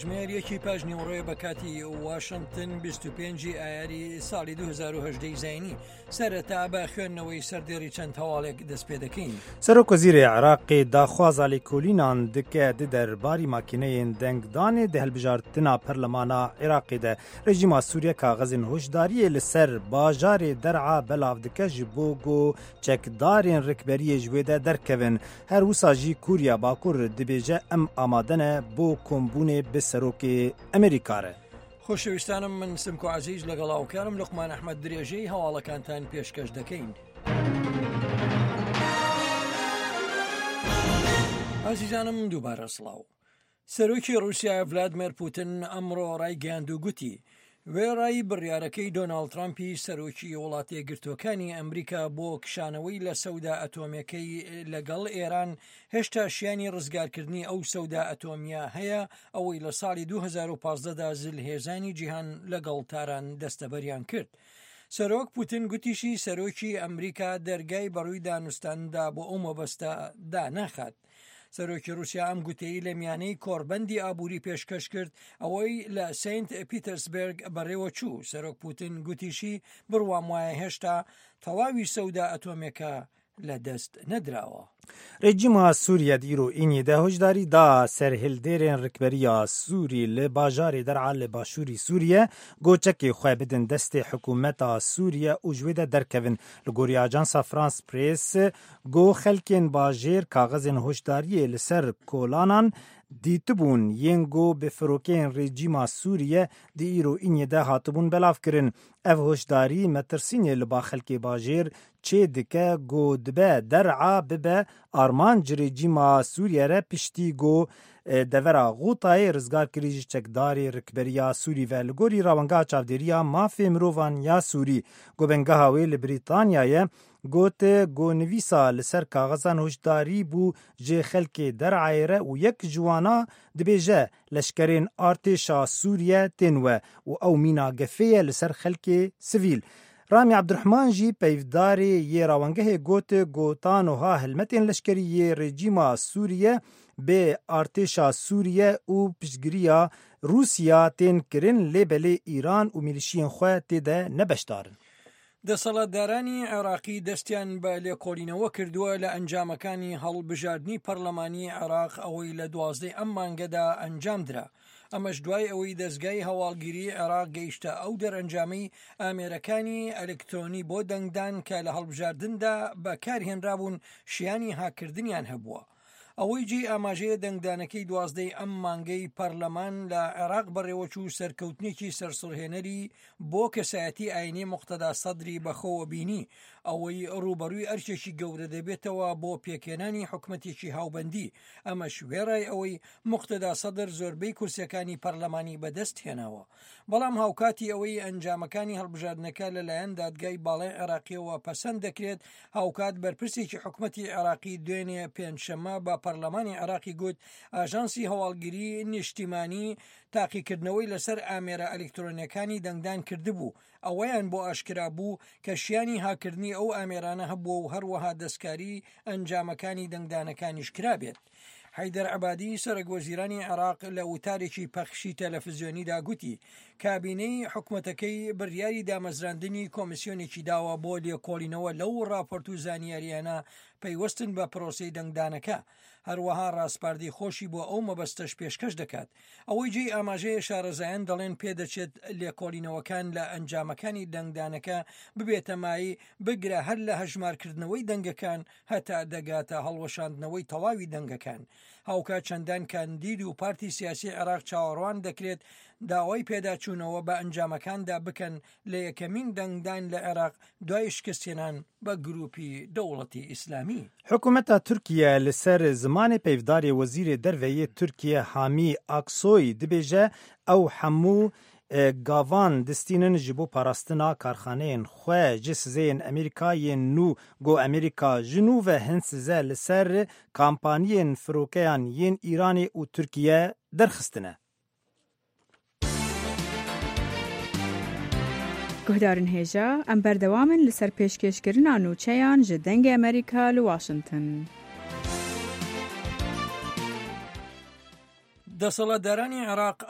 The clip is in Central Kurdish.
کاتژمێر یەکی پاش نیوەڕۆیە بە کاتی واشنتن 25 ئایاری ساڵی 2010 زینی سەرەتا بە خوێندنەوەی سەردێڕی چەند هەواڵێک دەست پێ دەکەین. سەرۆک وەزیرê Iraqê daxwaza lêkolînan dike di derbarî makîneyên dengdanê di hilbijartina perlemana Iraqê de. Rejîma Sûriye kaxezên hişdariyê li ser bajarê Der'a belav dike ji bo ku çekdarên rikberiyê ji wê de derkevin. Her wisa jî Koriya Bakur dibêje em amade ne bo kombûnê bi Serokê Amerîka re. خۆشەویستانم من سمکۆ عەزیز لەگەڵ هاوکارم لوقمان ئەحمەد درێژەی هەواڵەکانتان پێشکەش دەکەین. ئازیزانم دووبارە سڵاو. سەرۆکی ڕووسیا ڤلادمێر پوتن ئەمڕۆ ڕایگەیاند و گوتی، وێڕای بڕیارەکەی دۆناڵد ترامپی سەرۆکی وڵاتەیەکگرتووەکانی ئەمریکا بۆ کشانەوەی لە سەودا ئەتۆمیەکەی لەگەڵ ئێران، هێشتا شیانی ڕزگارکردنی ئەو سەودا ئەتۆمیە هەیە، ئەوەی لە ساڵی 2015 دا زلهێزانی جیهان لەگەڵ تاران دەستەبەریان کرد. سەرۆک پوتن گوتیشی سەرۆکی ئەمریکا دەرگای بەڕووی دانوستاندا بۆ ئەو مەبەستە داناخات. سەرۆکی رووسیا ئەم گوتەی لە میانەی کۆڕبەندی ئابووری پێشکەش کرد ئەوەی لە سینت پیتەرسبێرگ بەڕێوە چوو سەرۆک پوتن گوتیشی بڕوام وایە هێشتا تەواوی سەودا ئەتۆمێکە لە دەست نەدراوە. Rejîma Sûriye di îro înê de hişdarî da serhildêrên rikberiya Sûrî li bajarê Der'a li başûrî Sûriye got çekê xwe bidin destê hikûmeta Sûriye û ji wê de derkevin. Li gorî ajansa France Press Got xelkên bajêr kaxezên hişdariyê li ser kolanan dîtibûn yên ku bi firokeyên rejîma Sûriye di îro înê de hatibûn belavkirin. Ev hişdarî metirsînê li ba xelkê bajêr çêdike ku dibe Der'a bibe armanc rejîma Sûriye re piştî ku devera Ğûtayê rizgar kirî ji çekdarê rikberiya Sûrî ve. Li gorî Rawengeha Çavdêriya Mafê Mirovan ya Sûrî ku bingeha wê li Brîtanya ye, Got ku nivîsa li ser kaxezan hişdarî bû ji xelkê Der'ayê re û yek ji wana dibêje leşkerên artêşa Sûriye tên we û ew mîna gefê ye li ser xelkê sivîl. Ramî Ebdurehman jî peyvdarê yê rawengehê got ku ta nuha hilmetên leşkerî yê rejîma Sûriye bi artêşa Sûriye û piştgiriya Rûsya tên kirin lê belê Îran û mîlîşiyên xwe tê de ne beşdar in. دەسەڵاتدارانی عێراقی دەستیان بە لێکۆڵینەوە کردووە لە ئەنجامەکانی هەڵبژاردنی پەرلەمانی عێراق ئەوەی لە دوازدەی ئەم مانگەدا ئەنجامدرا، ئەمەش دوای ئەوەی دەزگای هەواڵگیری عێراق گەیشتە ئەو دەرئەنجامەی ئامێرەکانی ئەلکترۆنی بۆ دەنگدان کە لە هەڵبژاردندا بەکارهێنرابوون شیانی هاککردنیان هەبووە. ئەوەی جێی ئاماژەیە دەنگدانەکەی دوازدەی ئەم مانگەی پەرلەمان لە عێراق بەڕێوەچوو سەرکەوتنێکی سەرسوڕهێنەری بۆ کەسایەتی ئاینی موقتەدا سەدری بەخۆوە بینی، ئەوەی ڕووبەڕووی ئەرکێکی گەورە دەبێتەوە بۆ پێکهێنانی حکومەتێکی هاوبەندی، ئەمەش وێڕای ئەوەی موقتەدا سەدر زۆربەی کورسیەکانی پەرلەمانی بەدەست هێناوە. بەڵام هاوکاتی ئەوەی ئەنجامەکانی هەڵبژاردنەکە لەلایەن دادگای باڵای عێراقیەوە پەسەند دەکرێت، هاوکات بەرپرسێکی حکومەتی عێراقی دوێنێ پێنجشەممە بە پەرلەمانی عێراقی گوت، ئاژانسی هەواڵگری نیشتیمانی تاقیکردنەوەی لەسەر ئامێرە ئەلیکترۆنیەکانی دەنگدان کردبوو، ئەوەیان بۆ ئاشکرا بوو کە شیانی هاککردنی ئەو ئامێرانە هەبووە و هەروەها دەستکاری ئەنجامەکانی دەنگدانەکانیش کرابێت. حەیدەر عەبادی سەرۆک وەزیرانی عێراق لە وتارێکی پەخشی تەلەفزیۆنیدا گوتی، کابینەی حکومەتەکەی بڕیاری دامەزراندنی کۆمیسیۆنێکی داوە بۆ لێکۆڵینەوە لەو ڕاپۆرت و زانیارییانە پەیوەستن بە پرۆسەی دەنگدانەکە، هەروەها ڕاسپاردەی خۆشی بۆ ئەو مەبەستەش پێشکەش دەکات. ئەوەی جێی ئاماژەیە شارەزایان دەڵێن پێدەچێت لێکۆڵینەوەکان لە ئەنجامەکانی دەنگدانەکە ببێتە مایەی بگرە هەر لە هەژمارکردنەوەی دەنگەکان هەتا دەگاتە هەڵوەشاندنەوەی تەواوی دەنگەکان. هاوکات چەندان کاندید و پارتی سیاسی عێراق چاوەڕوان دەکرێت داوای پێداچوونەوە بە ئەنجامەکاندا بکەن لە یەکەمین دەنگدان لە عێراق دوای شکستهێنان بە گروپی دەوڵەتی ئیسلامی. حکومەتا Tirkiye li ser zimanê peyvdarê Wezîrê Derve yê Tirkiye Hamî Aksoy dibêje ew hemû gavan distînin ji bo parastina karxaneyên xwe ji sizeyên Amerîka yên nû got Amerîka ji nû ve hin size li ser kampaniyên firokeyan yên Îranê û Tirkiye derxistine. Guhdarên hêja, em berdewam in li ser pêşkêşkirina nûçeyan ji Dengê Amerîka li Washington. دەسەڵاتدارانی عێراق.